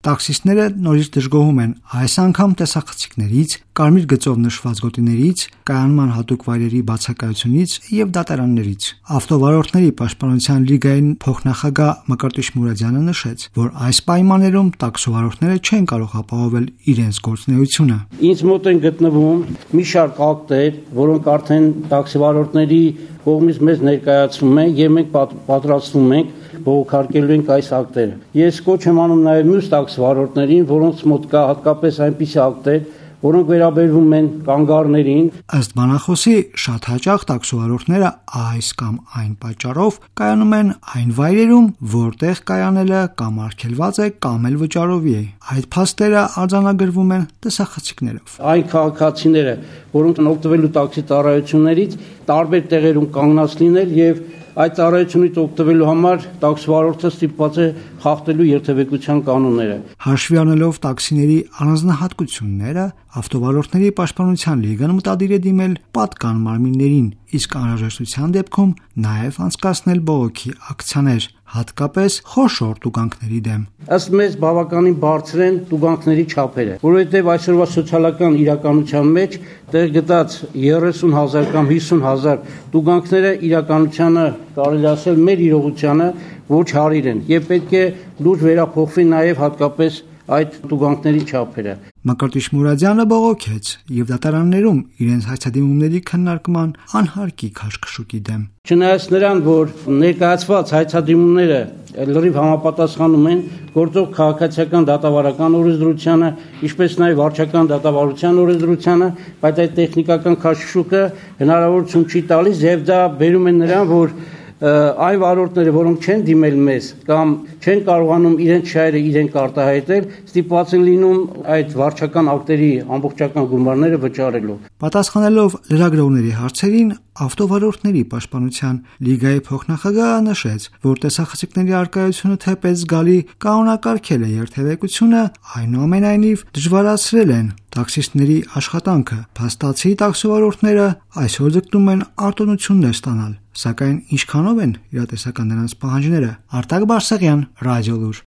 Տաքսիստները նորից դժգոհում են այս անգամ տեսախցիկներից, կարմիր գծով նշված գոտիներից, կայանման հատուկ վայրերի բացակայությունից եւ դատարաններից։ Ավտովարորդների պաշտպանության լիգայի փոխնախագահ Մկրտիչ Մուրադյանը նշեց, որ այս պայմաններում տաքսովարորդները չեն կարող ապահովել իրենց գործունեությունը։ Ինձ մոտ են գտնվում մի շարք ակտեր, որոնք արդեն տաքսիվարորդների կողմից մեզ ներկայացվում են եւ մենք պատրաստվում ենք բողոքարկելու ենք այս ակտերը։ Ես կոչ եմ անում նաեւ մյուս տաքսիվարորդներին, որոնց մոտ կա հատկապես այնպիսի ակտեր, որոնք վերաբերվում են կանգառներին։ Ըստ բանախոսի, շատ հաճախ տաքսիվարորդները այս կամ այն պատճառով կայանում են այն վայրերում, որտեղ կայանելը կամ արգելված է կամ էլ վճարովի է։ Այդ փաստերը արձանագրվում են տեսախցիկներով։ Այն քաղաքացիները, որոնք օգտվելու տաքսի ծառայություններից, տարբեր տեղերում կանգնած լինել եւ այդ ծառայությունից օգտվելու համար տաքսիվարորդը ստիպված է խախտելու երթևեկության կանոնները։ Հաշվի առնելով տաքսիների առանձնահատկությունները, ավտովարորդների պաշտպանության լիգան մտադիր է դիմել պատկան մարմիններին, իսկ անհրաժեշտության դեպքում նաև անցկացնել բողոքի ակցիաներ, հատկապես խոշոր տուգանքների դեմ։ Ըստ մեզ բավականին բարձր են տուգանքների չափերը, որովհետև այսօրվա սոցիալական իրականության մեջ տեղ գտած 30,000 կամ 50,000 տուգանքները իրականությանը կարելի ասել մեր իրողությանը ոչ հարիր են եւ պետք է լուրջ վերափոխվի նաեւ հատկապես այդ տուգանքների չափերը։ Մկրտիչ Մուրադյանը բողոքեց եւ դատարաններում իրենց հայցադիմումների քննարկման անհարկի քաշքշուկի դեմ։ Չնայած նրան, որ ներկայացված հայցադիմումները լրիվ համապատասխանում են գործող քաղաքացիական դատավարական օրենսդրությանը, ինչպես նաև վարչական դատավարության օրենսդրությանը, բայց այդ տեխնիկական քաշքշուկը հնարավորություն չի տալիս եւ դա բերում է նրան, որ այն վարորդները, որոնք չեն դիմել մեզ կամ չեն կարողանում իրենց շահերը իրենք արտահայտել, ստիպված են լինում այդ վարչական ակտերի ամբողջական գումարները վճարելու։ Պատասխանելով լրագրողների հարցերին, ավտովարորդների պաշտպանության լիգայի փոխնախագահը նշեց, որ տեսախցիկների առկայությունը թեպետ զգալի կանոնակարգել է երթևեկությունը, այնուամենայնիվ դժվարացրել են տաքսիստների աշխատանքը։ Փաստացի տաքսիվարորդները այսօր ձգտում են արտոնություններ ստանալ, սակայն ինչքանով են իրատեսական նրանց պահանջները։ Արտակ Բարսեղյան, Ռադիոլուր։